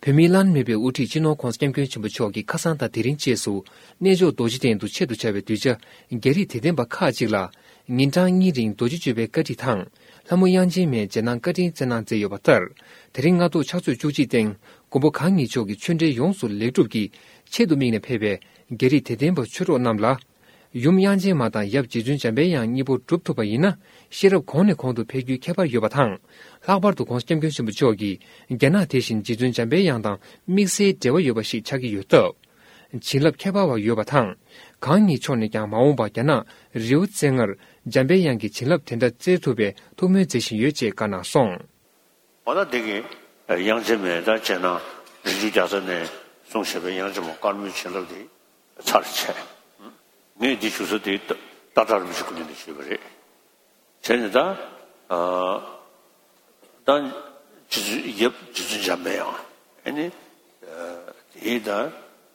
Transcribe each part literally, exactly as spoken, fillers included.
བོད་མིའི་བླ་ན་མེད་པའི་དབུ་ཁྲིད་སྤྱི་ནོར་༧གོང་ས་༧སྐྱབས་མགོན་ཆེན་པོ་མཆོག་གིས་ཁ་སང་དང་དེ་རིང་བཅས་སུ་གནས་མཆོག་རྡོ་རྗེ་གདན་དུ་ཆེད་དུ་བཅར་བའི་གདུལ་བྱ་རྒྱ་རིགས་དད་ལྡན་པ་ཁག་ཅིག་ལ་ཉིན་གྲངས་གཉིས་རིང་རྡོ་རྗེ་གཅོད་པའི་བཀའ་ཁྲིད་དང་། ལྷ་མོ་དབྱངས་ཅན་མས་རྗེས་གནང་བཀའ་དྲིན་སྩལ་གནང་མཛད་ཡོད་པ་ལྟར། དེ་རིང་སྔ་དྲོ་ཕྱག་ཚོད་བཅུ་གཅིག་སྟེང་མགོན་པོ་གང་ཉིད་མཆོག་གི་ཆོས་འབྲེལ་ཡོངས་སུ་ལེགས་གྲུབ་ཀྱི་ཆེད་དུ་དམིགས་ནས་ཕེབས་པའི་རྒྱ་རིགས་དད་ལྡན་པ་ཆོས་གྲོགས་རྣམས་ལ། ཡུམ་དབྱངས་ཅན་མ་དང་ཡབ་རྗེ་བཙུན་འཇམ་དཔལ་དབྱངས་གཉིས་པོ་སྒྲུབ་ཐུབ་པ་ཡིན་ན་ཤེས་རབ་གོང་ནས་གོང་དུ་འཕེལ་རྒྱུའི་ཁྱད་པར་ཡོད་པ་དང་། ལྷག་པར་དུ་༧གོང་ས་༧སྐྱབས་མགོན་ཆེན་པོ་མཆོག་གིས་རྒྱ་ནག་དེ་བཞིན་རྗེ་བཙུན་འཇམ་དཔལ་དབྱངས་དང་དམིགས་བསལ་འབྲེལ་བ་ཡོད་པ་ཞིག་ཆགས་ཀྱི་ཡོད་སྟབས། བྱིན་རླབས་ཁྱད་པར་བ་ཡོད་པ་དང་། གང་ཉིད་མཆོག་ནས་ཀྱང་མ་འོངས་པར་རྒྱ་ནག་རི་བོ་རྩེ་ལྔར་འཇམ་དཔལ་དབྱངས་ཀྱི་བྱིན་རླབས་དེ་འདྲ་སྩལ་ཐུབ་པའི་ཐུགས་སྨོན་མཛད་བཞིན་ཡོད་ཅེས་བཀའ་གནང་སོང་། འོ་ན་འདི་གི་དབྱངས་ཅན་མའི་ད་རྗེས་གནང་རི་ཆུ་རྒྱལ་ཚབ་ནས་གསུངས་བཞག་པའི་དབྱངས་ཅན་མ་དཀར་མོའི་བྱིན་རླབས་འདི་ཚར་བྱས། ངས་འདི་ཞུ་ས་དེ་ཏ་ཏ་ཀྲ་རིན་པོ་ཆེ་སྐུ་ཉིད་ནས་ཞུས་པ་རེད། བྱས་ནས་ད། ཨ། ད་རྗེ་བཙུན་ཡབ་རྗེ་བཙུན་འཇམ་པའི་དབྱངས་ཨེ་ནི། ཨ། དེའི་ད།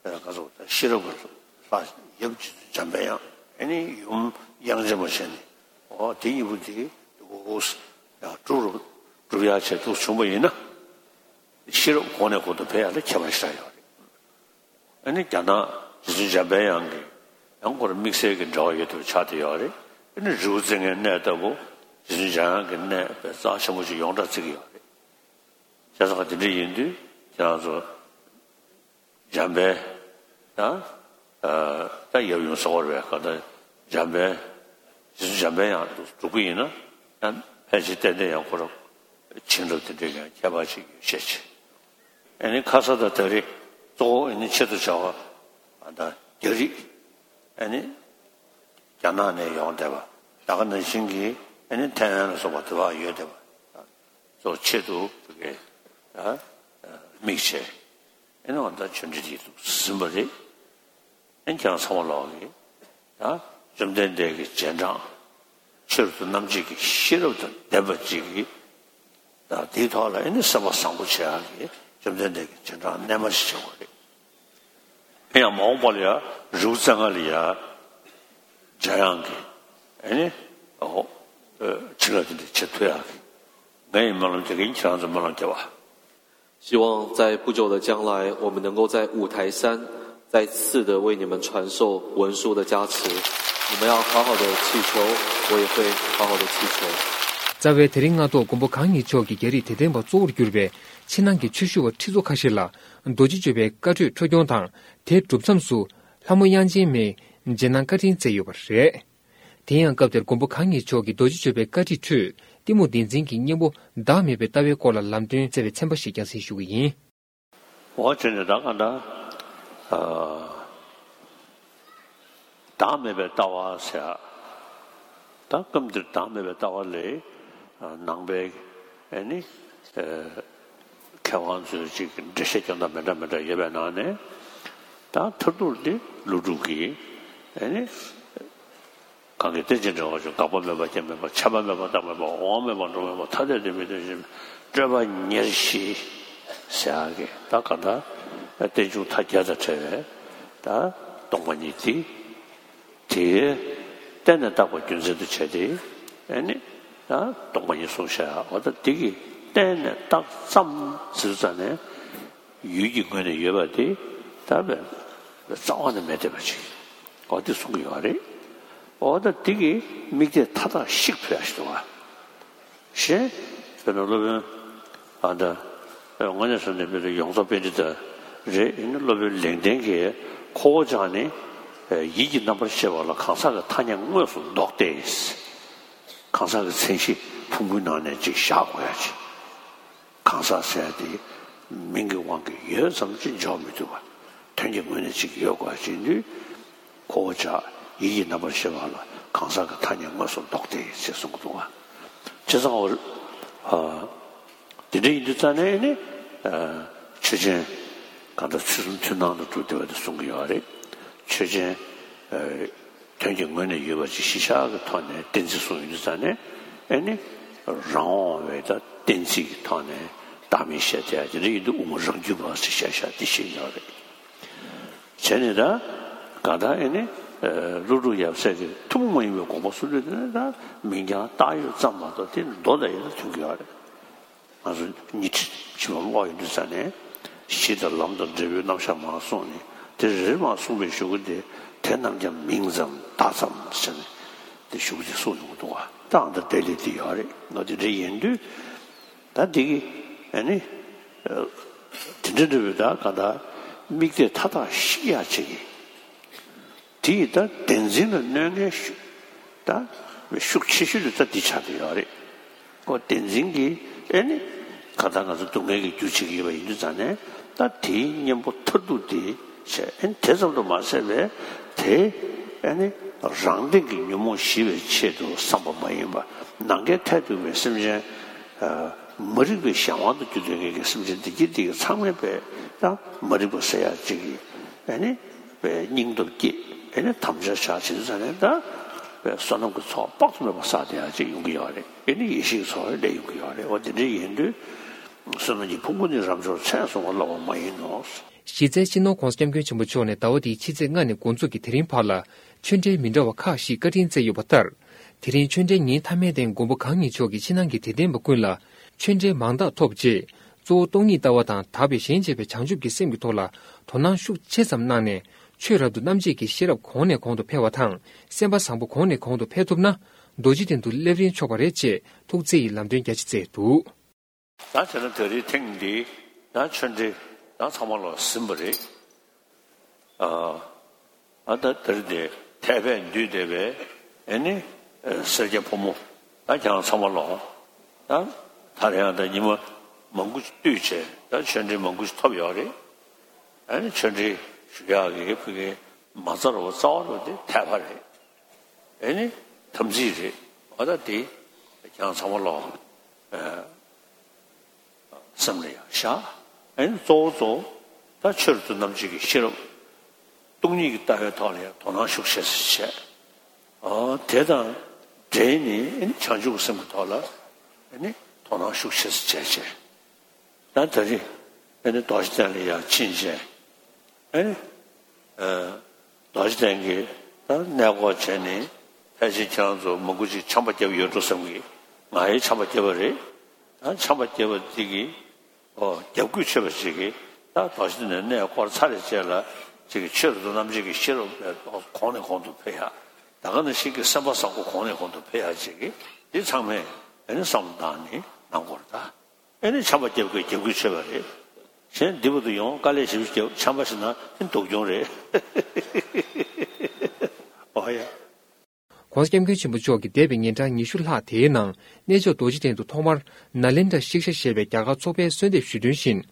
ཨ། ག་ཚོད་ད་ཤེས་རབ་ཀྱི་ལྷ་ཡབ་རྗེ་བཙུན་འཇམ་པའི་དབྱངས་ཨེ་ནི་ཡུམ་དབྱངས་ཅན་མ་བྱས་ནས་འོ་དེ་གཉིས་པོ་དེ་འོ་ཡང་གྲུབ་རུ་གྲུབ་ཡག་བྱས་འདུག་བྱུང་བ་ཡིན་ན་ཤེས་རབ་གོང་ནས་གོང་དུ་འཕེལ་ཡག་ལ་ཁྱད་པར་ཞེ་དྲག་ཡོད་རེད། ཨ་ནི་རྒྱ་ནག་རྗེ་བཙུན་འཇམ་པའི་དབྱངས་ཀྱི་ཡང་ཁོ་རང་དམིགས་བསལ་གྱི་འབྲེལ་བ་ཡོད་པའི་ཆ་དེ་ཡོད་རེད། ཨ་ནི་རི་བོ་རྩེ་ལྔའི་གནས་ལྟ་བུ་རྗེ་བཙུན་འཇམ་དབྱངས་ཀྱི་གནས་དཔེ་རྩ་ཆེན་པོ་ཞིག་ཡོངས་གྲགས་བརྩི་གི་ཡོད་རེད། བྱས་ཙང་དེ་འདྲ་ཡིན་དུས་ཁྱེད་རང་ཚོ་འཇམ་དཔལ་དང་། ཨ། ད་ཡབ་ཡུམ་ཟེར་བ་རེད་ག་ད་འཇམ་དཔལ་རྗེ་བཙུན་འཇམ་དཔལ་དབྱངས་སྒྲུབ་ཀྱི་ཡིན་ན་ཡང་ཕལ་ཆེར་ཏན་ཏན་ཡང་ཁོ་རང་བྱིན་རླབས་དེ་འདྲའི་ཡང་ཁྱད་པར་ཅིག་ཡོད་ཤས་ཆེ། ཨ་ནི་ཁ་ས་དང་ད་རེས་གཙོ་བོ་ཨ་ནི་ཆེད་དུ་བྱ་བ་ཨ་ད་རྒྱ་རིགས་ཨ་ནི་རྒྱ་ནག་ནས་ཡོང་བསྡད་པ་ད་ག་ནང་བཞིན་གྱི་ཨ་ནི་ཐའེ་ཝན་ལ་སོགས་པ་དེ་བ་ཡོད་བསྡད་པ་གཙོ་ཆེད་དུ་བོད་སྐད་ཨ་དམིགས་བྱས་ཨ་ནི་འོ་ད་ཆོས་འབྲེལ་དེ་ཟིན་པ་རེད། ཨ་ནི་ཁྱེད་རང་ཚང་མ་ལོག་གི་ད་བཅོམ་ལྡན་འདས་ཀྱི་རྗེས་འབྲང་། ཆོས་རབ་ཏུ་རྣམ་འབྱེད་ཀྱི་ཤེས་རབ་དང་ལྡན་པ་ཅིག་གིས་ད་དེའི་ཐོག་ལ་ཨེ་ནི་སེམས་པ་བཟང་པོ་བྱེད་ཡག་གི་བཅོམ་ལྡན་འདས་ཀྱི་རྗེས་འབྲང་རྣལ་མ་ཞིག་བྱེད་དགོས་རེད། ཨེ་ཡང་མ་འོངས་པ་ལ་ཡང་རི་བོ་རྩེ་ལྔ་ལ་ཡང་འཇམ་དབྱངས་ཀྱི་ཨེ་ནི་འོ་བྱིན་རླབས་དེ་འདྲ་བྱེད་ཐུབ་ཡག་གི་ངས་སྨོན་ལམ་རྒྱག་གི་ཡིན། ཁྱེད་རང་ཚོ་སྨོན་ལམ་རྒྱབ་པ། 希望在不久的将来，我们能够在五台山再次的为你们传授文殊的加持。你们要好好的祈求，我也会好好的祈求。 རྩ་བའི་དེ་རིང་སྔ་དྲོ་མགོན་པོ་གང་ཉིད་མཆོག་གིས་རྒྱ་རིགས་དད་ལྡན་པ་གཙོ་བོར་གྱུར་པའི་ཕྱི་ནང་གི་ཆོས་ཞུ་བ་ཁྲི་ཚོ་ཁ་ཤས་ལ་རྡོ་རྗེ་གཅོད་པའི་བཀའ་གྲོས་འཕྲོ་སྐྱོང་དང་། དེ་གྲུབ་མཚམས་སུ་ལྷ་མོ་དབྱངས་ཅན་མས་རྗེས་གནང་བཀའ་དྲིན་སྩལ་ཡོད་པ་རེད། དེ་ཡང་སྐབས་དེར་མགོན་པོ་གང་ཉིད་མཆོག་གིས་རྡོ་རྗེ་གཅོད་པའི་བཀའ་ཁྲིད་ཁྲོད་གཏི་མུག་བདེན་འཛིན་གྱི་གཉེན་པོ་བདག་མེད་པའི་ལྟ་བའི་སྐོར་ལ་ལམ་སྟོན་སྩལ་བའི་ཚན་པ་ཞིག་ཀྱང་གསན་ཞུ་གི་ཡིན། འོ་བྱས་ནས་ད་ག་འདྲ། ཨ། བདག་མེད་པའི་ལྟ་བ་ཟེར། ད་སྐབས་འདིར་བདག་མེད་པའི་ལྟ་བ་ལས་ནང་པའི་ཨ་ནི་ཨ་མཁས་དབང་ཚོས་ཅིག་འགྲེལ་བཤད་སྐྱོན་དང་མི་འདྲ་མི་འདྲ་ཡོད་པའི་ནང་ནས་ད་མཐར་ཐུག་འདི་ཀླུ་སྒྲུབ་ཀྱིས་ཨ་ནི། གང་གིས་རྟེན་ཅིང་འབྲེལ་བར་འབྱུང་། འགག་པ་མེད་པ་རྐྱེན་མེད་པ། ཆད་པ་མེད་པ་རྟགས་མེད་པ། འོང་བ་མེད་པ་འགྲོ་མེད་པ། ཐ་དད་དུ་མི་རྟོག་ཞེན་མེད་པ། སྤྲོས་པ་ཉེར་ཞི་ཟེར་ཡག་གི་ད་ག་ད་རྟེན་འབྱུང་མཐའ་བརྒྱད་དང་བྲལ་བའི་ད་སྟོང་པ་ཉིད་དེ། དེ་གཏན་ནས་བརྟགས་པ་རྒྱུ་མཚན་དུ་བྱས་ཏེ་ཨེ་ནི་ད་སྟོང་པ་ཉིད་གསུངས་བཞག་ཡག་འོ་ད་དེ་གིས་གཏན་ནས་བརྟགས་ཙམ་ཟེར་ཙམ་ནས། ཡུལ་གྱི་ངོས་ནས་ཡོད་པ་དེ་ད་རྩ་བ་ནས་མེད་བསྡད་པ་ཅིག་འོ་དེ་གསུང་གི་ཡོད་རེད། འོ་ད་དེ་གི་དམིགས་གཏད་མཐའ་དག་བཤིག་ཐུབ་ཡག་ཞིག་འདུག་ག་གཞན་དཔེར་ན་སློབ་དཔོན་ཨ་ད་དངོས་གནས་སོ་ནས་དཔེར་ན་ཡོངས་རྫོགས་པཎྜི་ཏ་རེད། ཡིན་ན་སློབ་དཔོན་ལེགས་ལྡན་གྱིས་ཁོ་བོ་ཅག་ནི་ཡིད་ཀྱི་རྣམ་པར་ཤེས་པ་ལ་གང་ཟག་གི་ཐ་སྙད་དངོས་སུ་འདོགས་ཏེ། གང་ཟག་གི་མཚན་གཞི་ཕུང་པོའི་ནང་ནས་ཅིག་བཞག་དགོས་ཡག་ཅིག་གང་ཟག་ཟེར་ཡག་དེ་མིང་གི་དབང་གིས་ཡོད་ཙམ་ཅིག་འཇོག་མི་ཐུབ་པ། དོན་གྱི་ངོས་ནས་ཅིག་ཡོད་དགོས་ཡག་ཅིག་ཡིན་དུས། ཁོ་བོ་ཅག་ཡིད་ཀྱི་རྣམ་པར་ཤེས་པ་ལ་གང་ཟག་གི་ཐ་སྙད་དངོས་སུ་འདོགས་ཏེ་ཅེས་གསུང་གི་འདུག་ག་བྱས་ཙང་འོ། ཨ། དེ་འདྲ་ཡིན་དུས་ཙང་ནས་ནི། ཨ། ཆོས་ཅན། གང་ལྟར་ཚུལ་གསུམ་མཐུན་སྣང་དུ་གྲུབ་བསྡད་པ་དེ་གསུང་གི་ཡོད་རེད། ཆོས་ཅན། ཨ། དོན་གྱི་ངོས་ནས་ཡོད་པ་ཅིག་གཞི་བཞག་གི་ཐོག་ནས་གཏན་ཚིགས་གསུངས་ཡོད་དུས་ཙང་ནས་ཨེ་ནི་རང་དབང་བའི་ད་གཏན་ཚིགས་ཀྱི་ཐོག་ནས་བདག་མེད་བཤད་བསྡད་ཡག་དེ་འདྲ་ཡིན་དུས་དབུ་མ་རང་རྒྱུད་པ་ཟེར་བཤད་བཞག་དེ་ཤེས་ཡོད་རེད། བྱས་ནས་ད་གང་ལྟར་ཨེ་ནི་ཀླུ་སྒྲུབ་ཡབ་སྲས་ཀྱི་ཐུན་མོང་མ་ཡིན་པའི་དགོངས་པ་གསུང་དུས་དེ་ནི་ད་མིང་རྐྱང་བཏགས་ཡོད་ཙམ་མ་གཏོགས་དེ་མདོ་དང་ཡང་མཐུན་གྱི་ཡོད་རེད། ང་ཚོ་ཉི་ཁྲི་ཕྱི་མ་ཀློག་ཡོང་དུས་ཙང་ནས་ གཞི་དང་ལམ་དང་འབྲས་བུའི་རྣམ་གཞག་མར་གསུངས་ནས་དེ་རེ་རེ་མར་གསུངས་པའི་གཞུག་གུ་དེ་དེ་རྣམས་ཀྱང་མིང་ཙམ་བརྡ་ཙམ་ཟེར་ནས་དེ་གཞུག་གུ་དེ་གསུངས་ཡོང་གི་འདུག་བ། ད་ཨ་ད་དེ་ལས་དེ་ཡོད་རེད། ང་དེ་འདྲ་ཡིན་དུས་ད་དེ་གི་ཨ་ནི་དེ་འདྲ་འདྲ་བའི་ད་ག་ད་དམིགས་གཏད་མཐའ་དག་ཤེས་ཡག་ཅིག་གི་དེ་ཡི་ད་བདེན་འཛིན་ལ་གནོད་མཁན་ཤུགས་ད་ཤུགས་ཆེ་ཤོས་དེ་ད་འདི་ཆགས་བསྡད་ཡོད་རེད། ཁོ་བདེན་འཛིན་གྱི་ཨེ་ནི་གང་ལྟར་ང་ཚོ་སྡུག་བསྔལ་གྱི་རྒྱུ་བྱེད་ཀྱི་ཡོད་པ་ཡིན་དུས་ཙང་ནས་ད་དེའི་གཉེན་པོ་མཐར་ཐུག་དེ་བྱས། ཨེ་ནི་དེ་ཙམ་དུ་མ་ཟད་པའི་དེ་ཨེ་ནི་རང་སྟེང་གི་ཉོན་མོངས་ཞི་བའི་ཆེད་དུ་བསམ་པ་མ་ཡིན་པ། ནམ་མཁའི་མཐས་གཏུགས་པའི་སེམས་ཅན་མ་རིག་པའི་གཞན་དབང་དུ་གྱུར་ཏེ་ངེད་ཀྱི་སེམས་ཅན་བདེ་སྐྱིད་འདི་གི་ཚང་མས་པའི་ད་མ་རིག་པ་ཟེར་ཡག་ཅིག་གི་ཨེ་ནི། པའི་སྙིང་སྟོབས་བསྐྱེད། ཨེ་ནི་དམ་བཅའ་བཞག་བྱེད་དུས་ཙང་ནས་ད་པའི་བསོད་ནམས་ཀྱི་ཚོགས་དཔག་ཏུ་མེད་པ་བསགས་བསྡད་ཡག་ཅིག་ཡོང་གི་ཡོད་རེད། ཨེ་ནི་ཡེ་ཤེས་ཀྱི་ཚོགས་སླེབས་ཡོང་གི་ཡོད་རེད། འོ་དེ་འདྲ་ཡིན་དུས་བསོད་ནམས་ཀྱི་ཕུང་པོ་ནི་རབ་འབྱོར་མཚན་བཟུང་བ་སླ་བ་མ་ཡིན་ནོ། གཞི་རྩའི་སྤྱི་ནོར་༸གོང་ས་༸སྐྱབས་མགོན་ཆེན་པོ་མཆོག་ནས་ཟླ་བ་འདིའི་ཕྱི་ཚེས་ལྔ་ནས་འགོ་འཛུགས་ཀྱིས་དེ་རིང་བར་ལ་ཆོས་འབྲེལ་མི་འདྲ་བ་ཁག་ཅིག་བཀའ་དྲིན་སྩལ་ཡོད་པ་ལྟར། དེ་རིང་ཆོས་འབྲེལ་ཉིན་མཐའ་མའི་སྟེང་མགོན་པོ་གང་ཉིད་མཆོག་གིས་ཕྱི་ནང་གི་དད་ལྡན་པ་ཀུན་ལ་ཆོས་འབྲེལ་མང་དག་ཐོབ་རྗེས། གཙོ་བོ་སྟོང་ཉིད་ལྟ་བ་དང་དག་པའི་གཞན་གཅེས་པའི་བྱང་ཆུབ་ཀྱི་སེམས་ཀྱི་ཐོག་ལ་དོ་སྣང་ཤུགས་ཆེ་ཙམ་གནང་ནས། ཆོས་རབ་ཏུ་རྣམ་འབྱེད་ཀྱི་ཤེས་རབ་གོང་ནས་གོང་དུ་འཕེལ་བ་དང་། སེམས་པ་བཟང་པོ་གོང་ནས་གོང་དུ་འཕེལ་ཐུབ་ན། རྡོ་རྗེ་གདན་དུ་སླེབས་རན་ཆོག་པ་རེད་ཅེས་ཐུགས་བརྩེ་ཡི་ལམ་སྟོན་རྒྱ་ཆེ་སྩལ་འདུག། ད་བྱས་ན་ད་རེས་ཐེངས་འདིའི་ད་ཆོས་འབྲེལ་ད་ཚང་མ་ལ་ཟིན་པ་རེད། ཨ་ད་ད་རེས་དེ་འཐད་པས་འདུས་བསྡད་པའི་ཨེ་ནི་སེར་སྐྱ་ཕོ་མོ་ད་ཁྱེད་རང་ཚང་མ་ལ་ད་ད་རེས་ཡང་ད་ཉི་མ་མང་པོ་ཞིག་བཏུས་བྱས་ད་ཆོས་འབྲེལ་མང་པོ་ཞིག་ཐོབ་ཡོད་རེད། ཨེ་ནི་ཆོས་འབྲེལ་ཞུ་ཡག་གི་ཕ་གི་མ་རྩ་རུ་རྩ་བ་རུ་དེ་འཐད་པ་རེད། ཨེ་ནི་དམ་ཚིག་རེད། འོ་ད་དེ་ཁྱེད་རང་ཚང་མ་ལ་ཨ་སེམས་ལ་ཡང་བཞག། ཨེ་ནི་གཙོ་བོ་གཙོ་བོ་ད་ཆོས་རབ་ཏུ་རྣམ་འབྱེད་ཀྱི་ཤེས་རབ་སྟོང་ཉིད་ཀྱི་ལྟ་བའི་ཐོག་ལ་ཡང་དོ་སྣང་ཤུགས་ཆེ་ཙམ་བྱས། ཨ་དེ་དང་འབྲེལ་ནས་ཨེ་ནི་བྱང་ཆུབ་ཀྱི་སེམས་ཀྱི་ཐོག་ལ་ཨེ་ནི་དོ་སྣང་ཤུགས་ཆེ་ཙམ་བྱས་བྱས། ད་ད་རེས་ཨེ་ནི་རྡོ་རྗེ་གདན་ལ་ཡང་ཕྱིན་བྱས། ཨེ་ནི། རྡོ་རྗེ་གདན་གྱི་ད་གནས་སྐོར་བྱས་ནས་ཕལ་ཆེར་ཁྱེད་རང་ཚོ་མང་པོ་ཅིག་ཆམ་པ་བརྒྱབ་ཡོད་འགྲོ་བསམ་གི། ང་ཡང་ཆམ་པ་བརྒྱབ་པ་རེད། ད་ཆམ་པ་བརྒྱབ་པ་དེ་གི་ཨོ་བརྒྱབ་དགོས་ཆེ་བ་ཅིག་གི་ད་རྡོ་རྗེ་གདན་ནས་གནས་སྐོར་ཚར་རེ་བྱས་ལ་ཅིག་གི་ཆོས་རབ་ཏུ་རྣམ་འབྱེད་ཀྱི་ཤེས་རབ་གོང་ནས་གོང་དུ་འཕེལ་ཡག། ད་ག་ནང་བཞིན་གྱི་སེམས་པ་བཟང་པོ་གོང་ནས་གོང་དུ་འཕེལ་ཡག་ཅིག་གི་འདི་ཚང་མས་ཨེ་ནི་བསམ་བློ་བཏང་ནས་གནང་དགོས་རེད་ད། ཨེ་ནི་ཆམ་པ་བརྒྱབ་དགོས་རྒྱབ་དགོས་ཆེ་བ་རེད། གཞན་འདི་བར་དུ་ཡོང་དཀའ་ལས་ཞེ་པོ་བརྒྱབ་ཆམ་པ་ཞིག་ན་ཨེ་སྡུག་གྱོང་རེད། ཨོ་ཡ། ༸གོང་ས་༸སྐྱབས་མགོན་ཆེན་པོ་མཆོག་གིས་འདས་པའི་ཉིན་གྲངས་ཉི་ཤུ་ལྷག་དེའི་ནང་གནས་མཆོག་རྡོ་རྗེ་གདན་དུ་ཐོག་མར་ནཱ་ལེནྡྲ་ཤིག་ཤ་ཞེས་པའི་རྒྱ་གར་ཚོགས་པའི་གསོལ་འདེབས་ཞུས་དོན་བཞིན།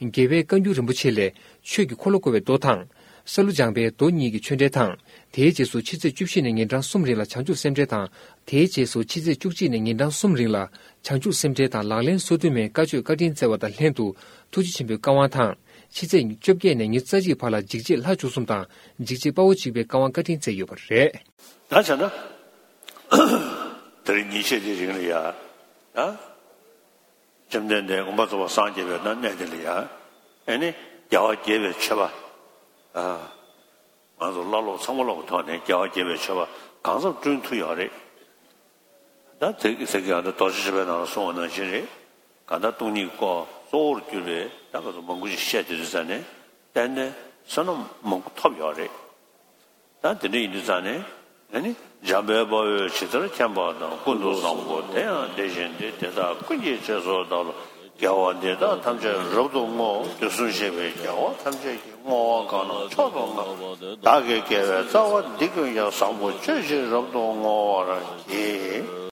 རྒྱལ་བའི་བཀའ་འགྱུར་རིན་པོ་ཆེ་ལས་ཆོས་ཀྱི་འཁོར་ལོ་བསྐོར་བའི་མདོ་དང་། ས་ལུ་སྦྱངས་པའི་མདོ་གཉིས་ཀྱི་ཆོས་འབྲེལ་དང་། དེའི་རྗེས་སུ་ཕྱི་ཚེས་བཅུ་བཞི་ནས་ཉིན་གྲངས་གསུམ་རིང་ལ་བྱང་ཆུབ་སེམས་འགྲེལ་དང་། དེའི་རྗེས་སུ་ཕྱི་ཚེས་བཅུ་གཅིག་ནས་ཉིན་གྲངས་གསུམ་རིང་ལ་བྱང་ཆུབ་སེམས་འགྲེལ་དང་ལག་ལེན་སོ་བདུན་མའི་བཀའ་ཆོས་བཀའ་དྲིན་སྩལ་བ་དང་ལྷན་དུ་ཐུགས་རྗེ་ཆེན་པོའི་བཀའ་དབང་དང་། ཕྱི་ཚེས་བཅོ་བརྒྱད་ནས་ཉི་ཤུ་རྩ་གཅིག་བར་ལ་འཇིགས་བྱེད་ལྷ་བཅུ་གསུམ་དང་འཇིགས་བྱེད་དཔའ་བོ་གཅིག་པའི་བཀའ་དབང་བཀའ་དྲིན་སྩལ་ཡོད་པ་རེད། ད་བྱས་ན་དེ་རིང་ཉིན་ཤས་དེའི་རིང་ལ་ཡ་ད། བཅོམ་ལྡན་འདས་དགོངས་པ་རྫོགས་པར་སངས་རྒྱས་པའི་ད་གནས་དེ་ལ་ཡང་ཨེ་ནི་རྒྱལ་བ་དགྱེས་པའི་མཆོད་པ། ཨ། ང་ཚོ་བླ་སློབ་ཚང་མ་སློབ་ཐོག་ནས་རྒྱལ་བ་དགྱེས་པའི་མཆོད་པ་གང་འཚམ་བསྐྲུན་ཐུབ་ཡོད་རེད། ད་དེ་གི་ཚེ་གི་ཨ་ད་རྡོ་རྗེ་འཆང་པའི་ནང་ལ་གསུངས་པ་ནང་བཞིན་རེད། གང་ལྟར་སྟོང་ཉིད་སྐོར་གཙོ་བོར་གྱུར་པའི་ད་ག་ཚོད་མང་པོ་ཞིག་བཤད་དེ་དུས་ཙ་ནས་ཏན་ཏན་བསོད་ནམས་མང་པོ་ཐོབ་ཡོད་རེད། ད་དེ་འདྲ་ཡིན་དུས་ཙང་ནས་ཨ་ནི་འཇམ་དཔལ་དཔའ་བོས་ཇི་ལྟར་མཁྱེན་པ་དང་། ཀུན་ཏུ་བཟང་པོ་དེ་ཡང་དེ་བཞིན་ཏེ། དེ་དག་ཀུན་གྱི་རྗེས་སུ་བདག་སློབ་དགེ་བ་འདི་དག་ཐམས་ཅད་རབ་ཏུ་བསྔོའོ། དུས་གསུམ་གཤེགས་པའི་རྒྱལ་བ་ཐམས་ཅད་ཀྱིས། བསྔོ་བ་གང་རྣམས་མཆོག་ཏུ་བསྔགས་པ། བདག་གི་དགེ་བའི་རྩ་བ་འདི་ཀུན་ཀྱང་། བཟང་པོ་སྤྱོད་ཕྱིར་རབ་ཏུ་བསྔོ་བར་བགྱི།